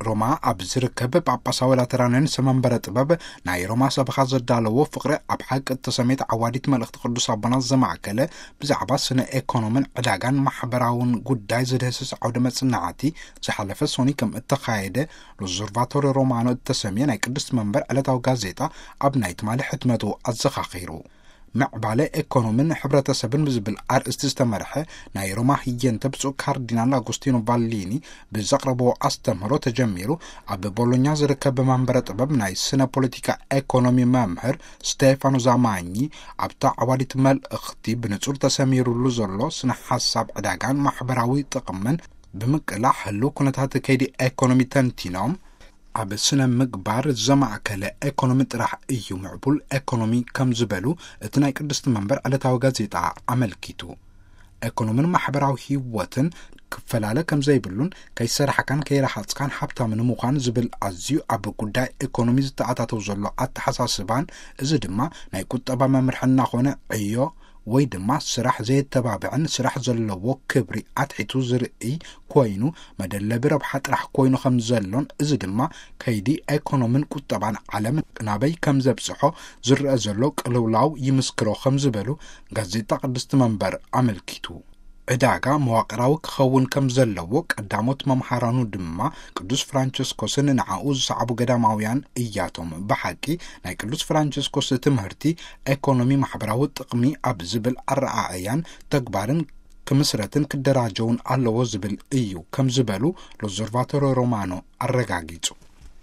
ሮማ ኣብ ዝርከብ ጳጳሳዊ ላተራንያን ሰመንበረ ጥበብ ናይ ሮማ ሰበኻ ዘዳለዎ ፍቕሪ ኣብ ሓቂ እተሰሜት ዓዋዲት መልእኽቲ ቅዱስ ኣቦና ዘማእከለ ብዛዕባ ስነ ኤኮኖምን ዕዳጋን ማሕበራውን ጉዳይ ዝድህስስ ዓውደ መጽናዕቲ ዝሓለፈ ሶኒ ከም እተኻየደ ሎዞርቫቶሪ ሮማኖ እተሰምየ ናይ ቅድስቲ መንበር ዕለታዊ ጋዜጣ ኣብ ናይ ትማሊ ሕትመቱ ኣዘኻኺሩ። ምዕባለ ኤኮኖምን ሕብረተሰብን ብዝብል ኣርእስቲ ዝተመርሐ ናይ ሮማ ህየንተ ብፁዕ ካርዲናል ኣጉስቲኖ ቫሊኒ ብዘቕረብዎ ኣስተምህሮ ተጀሚሩ ኣብ ቦሎኛ ዝርከብ መንበረ ጥበብ ናይ ስነ ፖለቲካ ኤኮኖሚ መምህር ስቴፋኖ ዛማኚ ኣብታ ዓዋዲት መልእኽቲ ብንጹር ተሰሚሩሉ ዘሎ ስነ ሓሳብ ዕዳጋን ማሕበራዊ ጥቕምን ብምቅላሕ ህልው ኩነታት ከይዲ ኤኮኖሚ ተንቲኖም ኣብ ስነ ምግባር ዘማእከለ ኤኮኖሚ ጥራሕ እዩ ምዕቡል ኤኮኖሚ ከም ዝበሉ እቲ ናይ ቅድስቲ መንበር ዕለታዊ ጋዜጣ ኣመልኪቱ። ኤኮኖምን ማሕበራዊ ህይወትን ክፈላለ ከም ዘይብሉን ከይሰራሕካን ከይረሃጽካን ሃብታም ንምዃን ዝብል ኣዝዩ ኣብ ጉዳይ ኤኮኖሚ ዝተኣታተው ዘሎ ኣተሓሳስባን እዚ ድማ ናይ ቁጠባ መምርሒ እናኾነ ዕዮ ወይ ድማ ስራሕ ዘየተባብዕን ስራሕ ዘለዎ ክብሪ ኣትሒቱ ዝርእይ ኮይኑ መደለቢ ረብሓ ጥራሕ ኮይኑ ከም ዘሎን እዚ ድማ ከይዲ ኤኮኖምን ቁጠባን ዓለም ናበይ ከም ዘብጽሖ ዝረአ ዘሎ ቅልውላው ይምስክሮ ከም ዝበሉ ጋዜጣ ቅድስቲ መንበር ኣመልኪቱ። ዕዳጋ መዋቕራዊ ክኸውን ከም ዘለዎ ቀዳሞት መምሃራኑ ድማ ቅዱስ ፍራንቸስኮስን ንዓኡ ዝሰዓቡ ገዳማውያን እያቶም። ብሓቂ ናይ ቅዱስ ፍራንቸስኮስ ትምህርቲ ኤኮኖሚ ማሕበራዊ ጥቕሚ ኣብ ዝብል ኣረኣእያን ተግባርን ክምስረትን ክደራጀውን ኣለዎ ዝብል እዩ ከም ዝበሉ ሎዞርቫቶሪ ሮማኖ ኣረጋጊጹ።